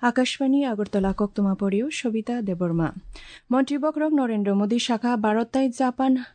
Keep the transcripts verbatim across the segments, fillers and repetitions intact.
Akashbani Agartala koktwma porio Sobita Debbarma. Montri bokhorok Narendra Modi sakha Bharat tai Japan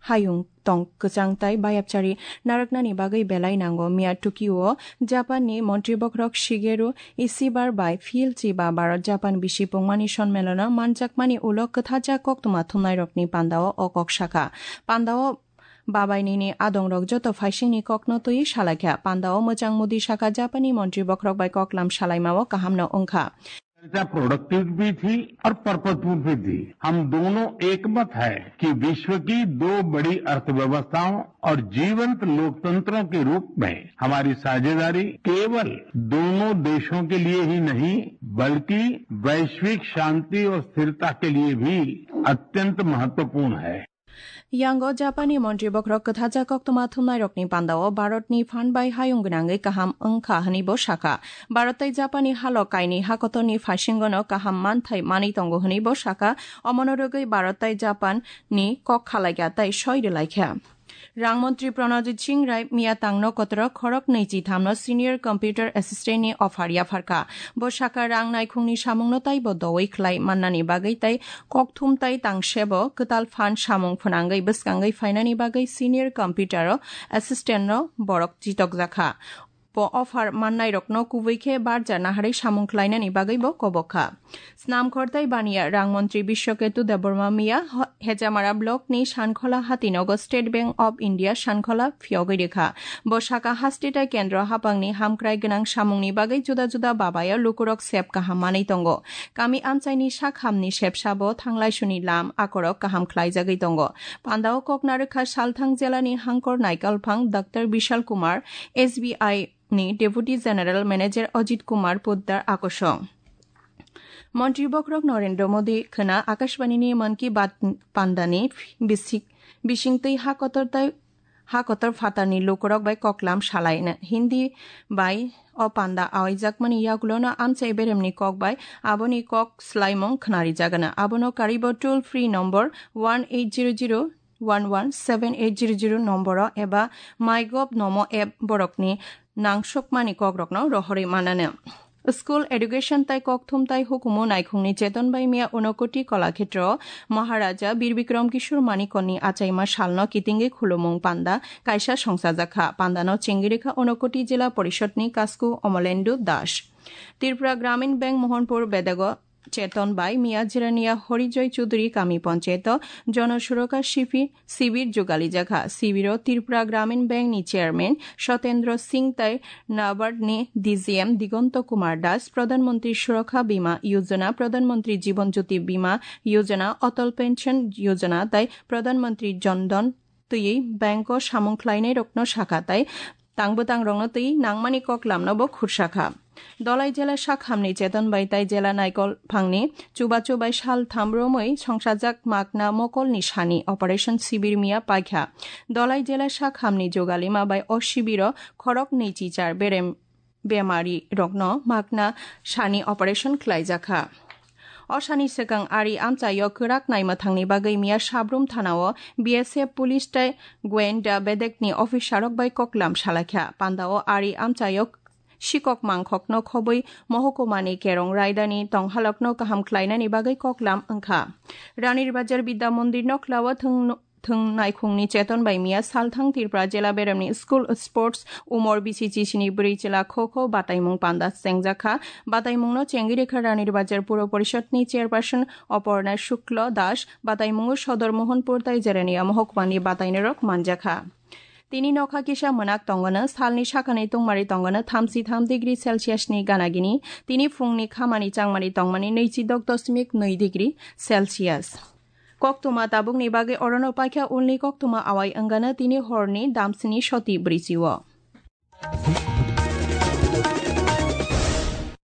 hayung tong kwchang tai bayapchari narwknani bagwi belai nango. Miya Tokyo o Japan ni montri bokhorok Shigeru Ishiba bai phil chiba Bharat Japan bisi pungmani sonmelono manjakmani ulo kwthajak koktwma thumnairokni pandao o kok sakha. Pandao babainini adongrok joto phaisingni kokno twi salaikha. Pandao mwchang Modi sakha Japanni montri bokhorok bai koklam salaimao kahamno wngkha. चर्चा प्रोडक्टिव भी थी और पर्पजफुल भी थी। हम दोनों एकमत है कि विश्व की दो बड़ी अर्थव्यवस्थाओं और जीवंत लोकतंत्रों के रूप में हमारी साझेदारी केवल दोनों देशों के लिए ही नहीं, बल्कि वैश्विक शांति और स्थिरता के लिए भी अत्यंत महत्वपूर्ण है। Yango Japanni montri bokhorok kwthajak koktwma thumnairokni pandao Bharatni phan bai hayung gwnangwi kaham wngkha hwnwi bo sakha. Bharat tei Japanni halok kainwi hakotorni phasingono kaham manthai manwi tongo hwnwi bo sakha, omono rwgwi Bharat tei Japanni kok khalaikha tei soi rwlaikha. Rang montri Pranajit Singh Rai miya tangno kotoro khorok nwichi thamno senior computer assistant ni offer yapharkha. Bo sakha rang naikhungni samungno taibo dowi khlai mannani bagwi tei kokthum tai tangsebo kwtal phan samung phwnangwi bwskangwi phainani bagwi senior computer o assistant no borok chitokjakha. Bo offer mannairokno kubui khe barja naharwi samung khlainani bagwi bo kobok kha. Snamkhor tei baniya rang montri Bishwaketu Debbarma miya ho-, Hejamara block ni Sankhola hatinogo State Bank of India Sankhola phiyogwi rikha. Bo saka haste tei kendro hapangni hamkrai gwnang samungni bagwi juda juda babaya lukurok sep kaham manwi tongo. Kami amchaini sak hamni sepsabo thanglaisuni lam akorok kaham khlaijagwi tongo. Pandao kokna rwkha Salthang jelani hangkor naikalphang Doctor Bishal Kumar, S B I ni Deputy General Manager Ajit Kumar Poddar akosong. Montri bokhorok Narendra Modi khwna Akashbani ni Mann Ki Baat pandani bisik-, bisingtwi ha kotor tai, ha kotor phatarni lukurok bai koklam salaina. Hindi bai o panda awaijakmani yagulono amchai beremni kok bai aboni kok swlaimung khwnari jagana. Abono karibo toll free number one eight zero zero one one seven eight zero zero nomboro eba MyGov Namo app borokni nangsokmani kokrokno rohorwi mananw. School education tai kokthum tai hukumu naikhungni cheton bai miya Unakoti Kolakhetro Maharaja Bir Bikram Kishore Manikonni achaima salno kitingwi khulumung panda kaisa songchajakha. Pandano chengirikha Unakoti Jila Porishadni Kasku Omolendu Das. Tripura Gramin Bank Mohanpur Bedago cheton bai miya Jirania Horijoy Chudri kami ponchayato Jono Surokha Shifi-, Sibir jugalijagha. Sibiro Tripura Gramin Bank ni Chairman Sotendra Singh tai NABARD ni D G M Digonto Kumar Das, Pradhan Mantri Surokha Bima Yojana, Pradhan Mantri Jiban Jyoti Bima Yojana, Atal Pension Yojana tai Pradhan Mantri Jan Dhan twiwi bank o samung khlainairokno sakha tai tang bwtangrokno twi nangmani koklamno bo khursakha. Dolai jela sakhamni cheton bai tai jela naikol phangni chubachu bai sal tham romwi songsajak makna mokolni sani operation sibir miya paikha. Dolai jela sakhamni jogalima bai o sibiro khorok nwi chichar berem bemari rokno makna sani operation khlaijakha. O sani swkang ari amchaio kwrak naima thangni bagwi miya Sabrum thanao B S F police tei goenda bedekni officerrok bai koklam salaikha. Pandao ari amchaio sikok mangkhokno khobwi mohokumani kerong raidani tonghalokno kaham khlainani bagwi koklam wngkha. Ranir Bazar Bidya Mondir noklao thwng thwng naikhungni cheton bai miya Salthang Tripura jela beremni school sports umor B C C C ni bwrwi chela kho kho bataimung panda chengjakha. Bataimungno chengwi rikha Ranir Bazar Puro Porishadni chairperson Oporna Shukla Das, bataimungo Sodor Mohanpur tai Jerenia Mohokumani batainairok manjakha. Tini nokha kisa mwnak tongwano salni sakani tungmari tongwano thamsi tham degree Celsius ni ganagini, tini phungni khamani changmani tongmani nwichi dok doshmik nwi degree Celsius. Koktwma tabukni bagwi orono paikha, ulni koktwma awai wngano tini horni damsini soti bwrwichio.